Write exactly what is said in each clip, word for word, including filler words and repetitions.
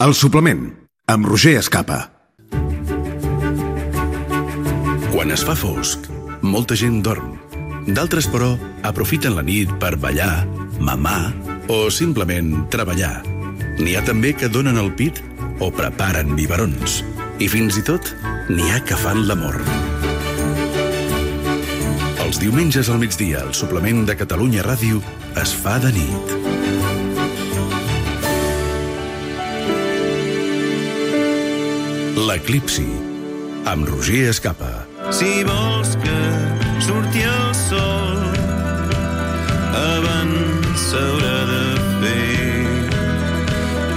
El suplement, amb Roger Escapa. Quan es fa fosc, molta gent dorm. D'altres, però, aprofiten la nit per ballar, mamar o simplement treballar. N'hi ha també que donen el pit o preparen biberons. I fins i tot n'hi ha que fan l'amor. Els diumenges al migdia, el suplement de Catalunya Ràdio es fa de nit. L'Eclipsi, amb Roger Escapa. Si vols que surti el sol, abans s'haurà de fer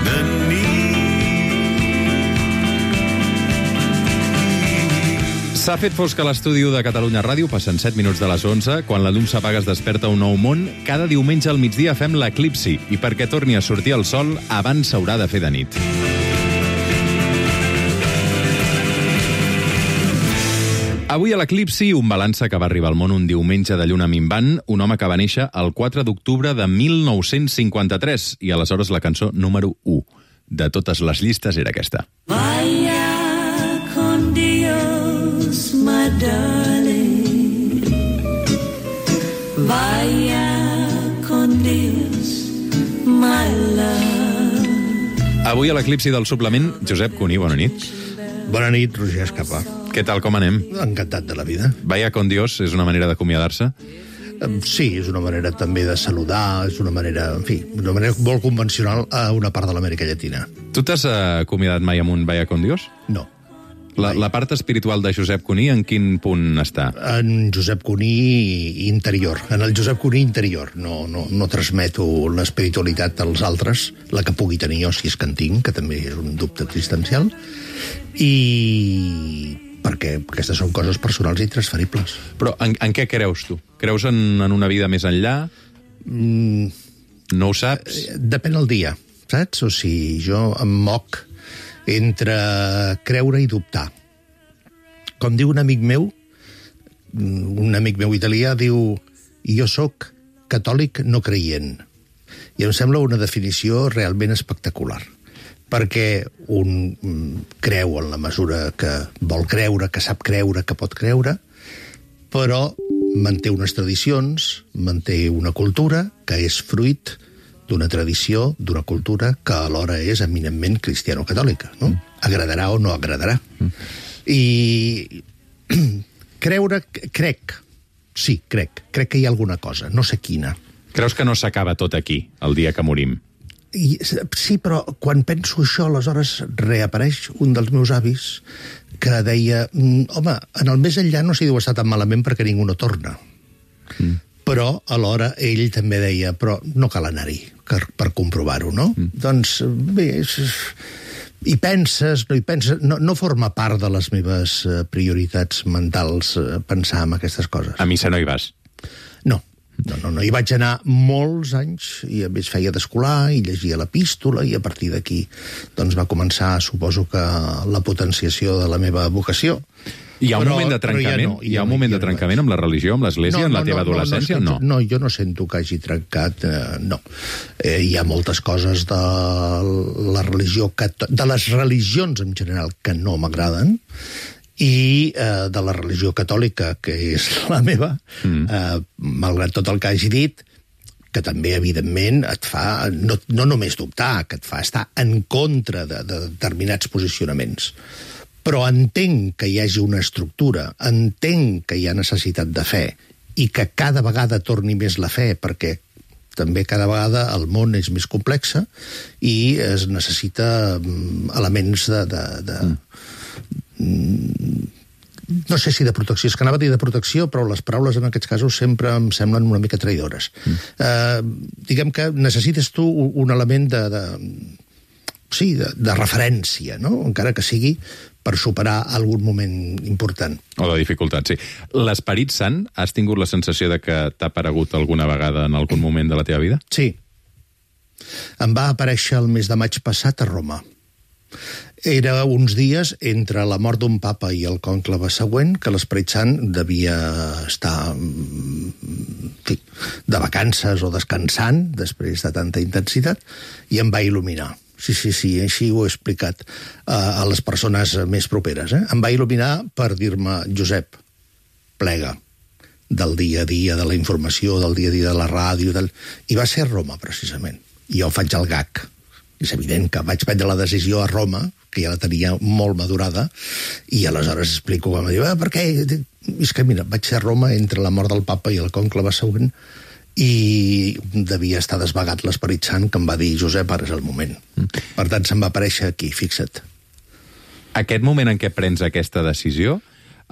de nit. S'ha fet fosc a l'estudi de Catalunya Ràdio, passen set minuts de les onze. Quan la llum s'apaga es desperta un nou món. Cada diumenge al migdia fem l'Eclipsi, i perquè torni a sortir el sol, abans s'haurà de fer de nit. Avui a l'Eclipsi, un balança que va arribar al món un diumenge de lluna minvant, un home que va néixer el quatre d'octubre de mil nou-cents cinquanta-tres, i aleshores la cançó número u de totes les llistes era aquesta. Vaya con Dios, my darling. Vaya con Dios, my love. Avui a l'Eclipsi del suplement, Josep Cuní, bona nit. Bona nit, Roger Escapa. Què tal, com anem? Encantat de la vida. Vaya con Dios és una manera d'acomiadar-se? Sí, és una manera també de saludar, és una manera, en fi, una manera molt convencional a una part de l'Amèrica Llatina. Tu t'has acomiadat mai amb un Vaya con Dios? No. La, la part espiritual de Josep Cuní, en quin punt està? En Josep Cuní interior, en el Josep Cuní interior. No, no, no transmeto l'espiritualitat als altres, la que pugui tenir jo, si és que en tinc, que també és un dubte existencial, i perquè aquestes són coses personals i transferibles. Però en, en què creus, tu? Creus en, en una vida més enllà? Mm, no ho saps? Depèn del dia, saps? O sigui, jo em moc entre creure i dubtar. Com diu un amic meu, un amic meu italià, diu: jo sóc catòlic no creient. I em sembla una definició realment espectacular. Perquè un creu en la mesura que vol creure, que sap creure, que pot creure, però manté unes tradicions, manté una cultura que és fruit d'una tradició, d'una cultura que alhora és eminentment cristiano-catòlica, no? Mm. Agradarà o no agradarà. Mm. I creure, crec, sí, crec, crec que hi ha alguna cosa, no sé quina. Creus que no s'acaba tot aquí, el dia que morim? I, sí, però quan penso això, aleshores reapareix un dels meus avis que deia: home, en el més enllà no s'hi deu estar tan malament perquè ningú no torna. Mm. Però alhora ell també deia: però no cal anar-hi per, per comprovar-ho, no? Mm. Doncs bé, és, hi penses, no hi penses, no, no forma part de les meves prioritats mentals pensar en aquestes coses. A missa no hi vas? No. No, no, no, hi vaig anar molts anys, i a més feia d'escolar, i llegia l'epístola, i a partir d'aquí doncs va començar, suposo que, la potenciació de la meva vocació. Hi ha un però, moment de trencament? Ja no, hi ha un moment de trencament amb la religió, amb l'església, no, no, en la teva no, adolescència, o no? No, jo no sento que hagi trencat, eh, no. Eh, hi ha moltes coses de la religió, de les religions en general, que no m'agraden, i eh, de la religió catòlica, que és la meva, mm. eh, malgrat tot el que hagi dit, que també, evidentment, et fa no, no només dubtar, que et fa estar en contra de, de determinats posicionaments. Però entenc que hi hagi una estructura, entenc que hi ha necessitat de fe, i que cada vegada torni més la fe, perquè també cada vegada el món és més complex i es necessita elements de... de, de mm. no sé si de protecció, és que anava a dir de protecció, però les paraules en aquests casos sempre em semblen una mica traïdores. Mm. Uh, diguem que necessites tu un element de, de, sí, de, de referència, no? Encara que sigui per superar algun moment important. O de dificultat, sí. L'Esperit Sant, has tingut la sensació de que t'ha aparegut alguna vegada en algun moment de la teva vida? Sí. Em va aparèixer el mes de maig passat a Roma. Era uns dies entre la mort d'un papa i el conclave següent que l'Esperit Sant devia estar en fi, de vacances o descansant després de tanta intensitat, i em va il·luminar. sí, sí, sí, així ho he explicat uh, a les persones més properes. Eh? Em va il·luminar per dir-me, Josep, plega del dia a dia, de la informació, del dia a dia de la ràdio, del... i va ser a Roma, precisament. I jo faig el gag. És evident que vaig prendre la decisió a Roma, que ja la tenia molt madurada, i aleshores explico com a dir, ah, per què? És que, mira, vaig ser a Roma entre la mort del papa i el conclave següent, i devia estar desvagat l'Esperit Sant, que em va dir, Josep, ara és el moment. Mm. Per tant, se'm va aparèixer aquí, fixa't. Aquest moment en què prens aquesta decisió,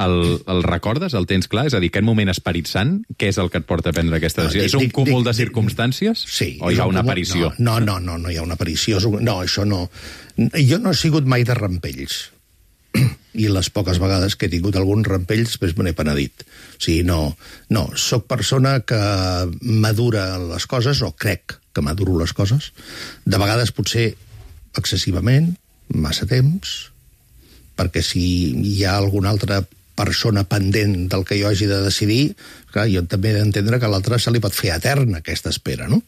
el, el recordes, el tens clar? És a dir, aquest moment Esperit Sant, què és el que et porta a prendre aquesta decisió? No, dic, és un dic, cúmul dic, de circumstàncies? Sí. O hi ha una aparició? No, no, no, no hi ha una aparició. No, això no... Jo no he sigut mai de rampells. I les poques vegades que he tingut alguns rampells, després me n'he penedit. O sigui, no, no, soc persona que madura les coses, o crec que maduro les coses. De vegades potser excessivament, massa temps, perquè si hi ha alguna altra persona pendent del que jo hagi de decidir, clar, jo també he d'entendre que a l'altre se li pot fer eterna aquesta espera, no?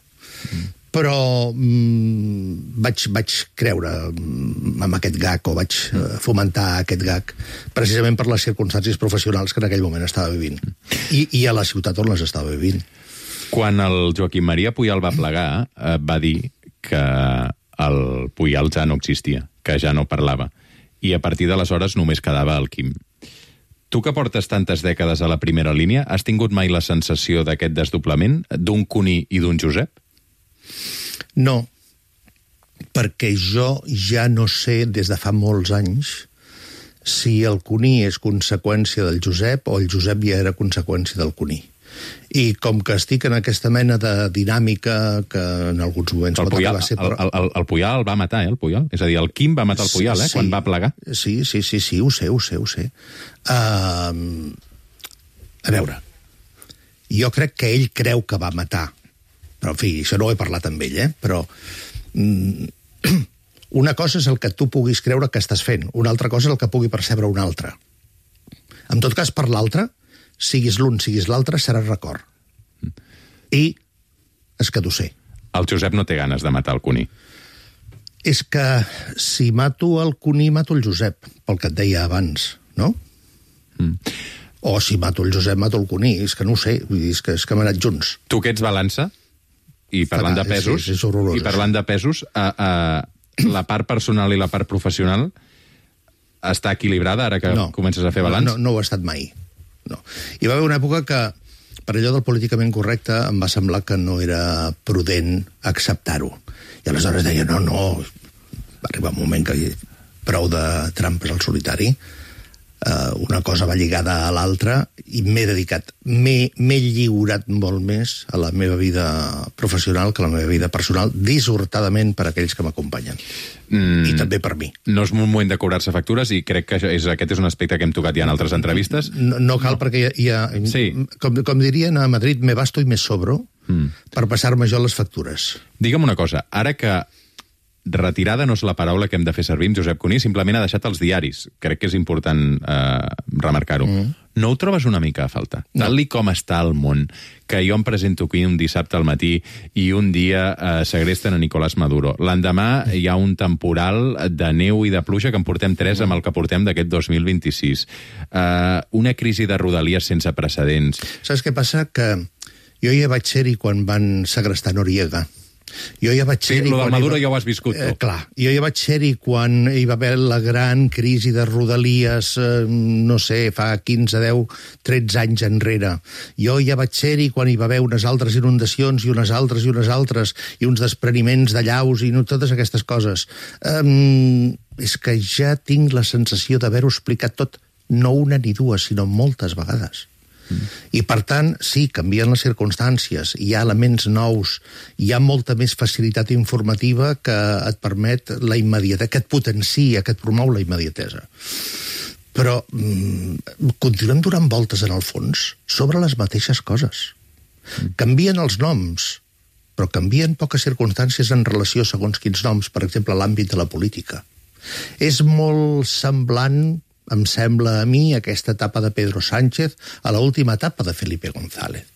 Mm. Però mm, vaig, vaig creure en aquest gag, o vaig mm. uh, fomentar aquest gag, precisament per les circumstàncies professionals que en aquell moment estava vivint. I, i a la ciutat on les estava vivint. Quan el Joaquim Maria Pujal va plegar, eh, va dir que el Pujal ja no existia, que ja no parlava. I a partir d'aleshores només quedava el Quim. Tu que portes tantes dècades a la primera línia, has tingut mai la sensació d'aquest desdoblament, d'un Cuní i d'un Josep? No, perquè jo ja no sé, des de fa molts anys, si el Cuní és conseqüència del Josep o el Josep ja era conseqüència del Cuní. I com que estic en aquesta mena de dinàmica que en alguns moments... El Pujal, ser... el, el, el Pujal el va matar, eh, el Pujal? És a dir, el Quim va matar el Pujal, eh, sí, quan va plegar. Sí, sí, sí, sí, ho sé, ho sé, ho sé. Uh, a veure, jo crec que ell creu que va matar, però, en fi, això no ho he parlat amb ell, eh, però... Um, una cosa és el que tu puguis creure que estàs fent, una altra cosa és el que pugui percebre un altre. En tot cas, per l'altre, siguis l'un, siguis l'altre, serà record. I és que t'ho sé. El Josep no té ganes de matar el Cuní. És que si mato el Cuní, mato el Josep, pel que et deia abans, no? Mm. O si mato el Josep, mato el Cuní. És que no ho sé, vull dir, és que, és que hem anat junts. Tu que ets balança, i parlant de pesos, és, és horrorós, i parlant de pesos, a, a, la part personal i la part professional està equilibrada ara que no, comences a fer balanç? No, no, no ho ha estat mai. No. Hi va haver una època que, per allò del políticament correcte, em va semblar que no era prudent acceptar-ho. I aleshores deia, no, no, va arribar un moment que prou de trampes al solitari, uh, una cosa va lligada a l'altra, i m'he dedicat, m'he lliurat molt més a la meva vida professional que a la meva vida personal, dissortadament per aquells que m'acompanyen. Mm, I també per mi. No és un moment de cobrar-se factures i crec que és, aquest és un aspecte que hem tocat ja en altres entrevistes. No, no cal, no. perquè hi ha... hi ha sí. com, com dirien a Madrid, me basto i me sobro mm. per passar-me jo les factures. Digue'm una cosa, ara que retirada no és la paraula que hem de fer servir amb Josep Cuní, simplement ha deixat els diaris. Crec que és important eh, remarcar-ho. Mm. No ho trobes una mica a faltar? No. Tal com està el món, que jo em presento aquí un dissabte al matí i un dia eh, segresten a Nicolás Maduro. L'endemà hi ha un temporal de neu i de pluja que en portem tres amb el que portem d'aquest dos mil vint-i-sis. Eh, una crisi de rodalies sense precedents. Saps què passa? Que jo ja vaig ser-hi quan van segrestar Noriega. Jo ja vaig ser-hi... Sí, lo del Maduro ja ho has viscut tu. Eh, clar, jo ja vaig ser-hi quan hi va haver la gran crisi de rodalies, eh, no sé, fa quinze, deu, tretze anys enrere. Jo ja vaig ser-hi quan hi va haver unes altres inundacions i unes altres i unes altres, i uns despreniments de llaus i no, totes aquestes coses. Um, és que ja tinc la sensació d'haver-ho explicat tot, no una ni dues, sinó moltes vegades. Mm. I per tant, sí, canvien les circumstàncies, hi ha elements nous, hi ha molta més facilitat informativa que et permet la immediatesa, que et potencia, que et promou la immediatesa. Però mm, continuem donant voltes en el fons sobre les mateixes coses. Mm. Canvien els noms, però canvien poques circumstàncies en relació segons quins noms, per exemple, l'àmbit de la política. És molt semblant, em sembla a mi, aquesta etapa de Pedro Sánchez a l'última etapa de Felipe González.